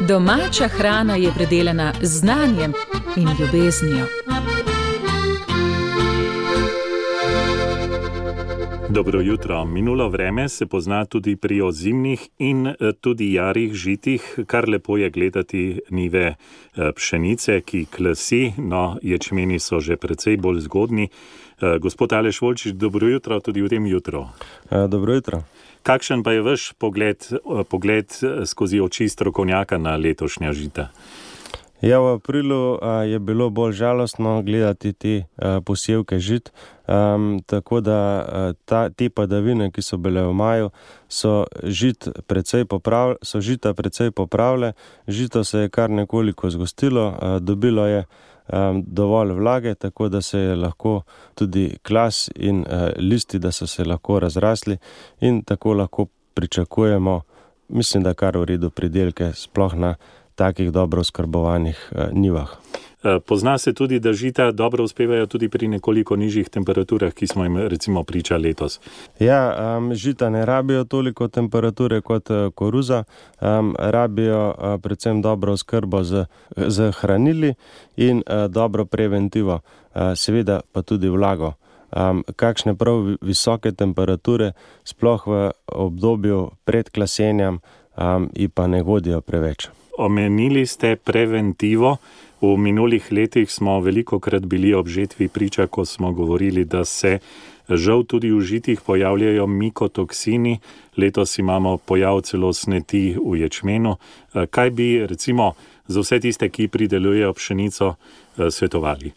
Domača hrana je predelana z znanjem in ljubeznijo. Dobro jutro. Minulo vreme se pozna tudi pri ozimnih in tudi jarih žitih, kar lepo je gledati njive pšenice, ki klasi, no ječmeni so že precej bolj zgodni. Gospod Aleš Volčič, dobro jutro tudi v tem jutru. Dobro jutro. Kakšen pa je vaš pogled skozi oči strokovnjaka na letošnja žita? Ja, v aprilu je bilo bolj žalostno gledati te posevke žit, tako da te padavine, ki so bile v maju, so žita precej popravile, žito se je kar nekoliko zgostilo, dobilo je dovolj vlage, tako da se je lahko tudi klas in listi, da so se lahko razrasli in tako lahko pričakujemo, mislim, da kar v redu pridelke, sploh na takih dobro oskrbovanih njivah. Pozna se tudi, da žita dobro uspevajo tudi pri nekoliko nižjih temperaturah, ki smo jim recimo priča letos. Ja, žita ne rabijo toliko temperature kot koruza, rabijo predvsem dobro oskrbo z hranili in dobro preventivo, seveda pa tudi vlago. Kakšne prav visoke temperature, sploh v obdobju pred klasenjem, in pa ne vodijo preveč. Omenili ste preventivo. V minulih letih smo velikokrat bili ob žetvi priča, ko smo govorili, da se žal tudi v žitih pojavljajo mikotoksini. Letos imamo pojav celo sneti v ječmenu. Kaj bi recimo za vse tiste, ki pridelujejo pšenico, svetovali?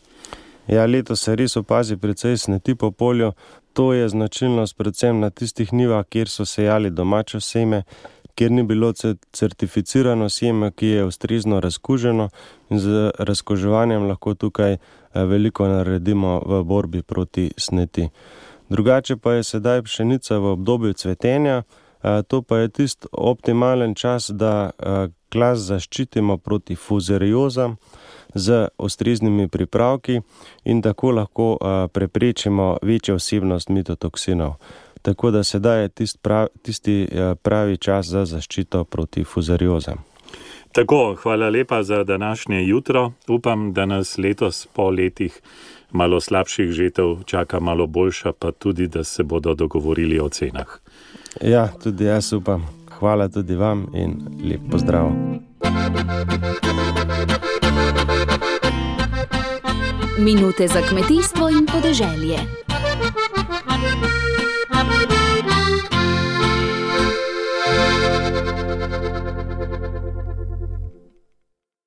Ja, letos se res opazi precej sneti po polju. To je značilnost predvsem na tistih njivah, kjer so sejali domačo seme, kjer ni bilo certificirano seme, ki je ustrezno razkuženo, in z razkuževanjem lahko tukaj veliko naredimo v borbi proti sneti. Drugače pa je sedaj pšenica v obdobju cvetenja, to pa je tisti optimalen čas, da klas zaščitimo proti fuzariozam z ustreznimi pripravki in tako lahko preprečimo večjo vsebnost mitotoksinov. Tako da sedaj je tisti pravi čas za zaščito proti fuzariozam. Tako, hvala lepa za današnje jutro. Upam, da nas letos po letih malo slabših žetev čaka malo boljša, pa tudi, da se bodo dogovorili o cenah. Ja, tudi jaz upam. Hvala tudi vam in lep pozdrav. Minute za kmetijstvo in podeželje.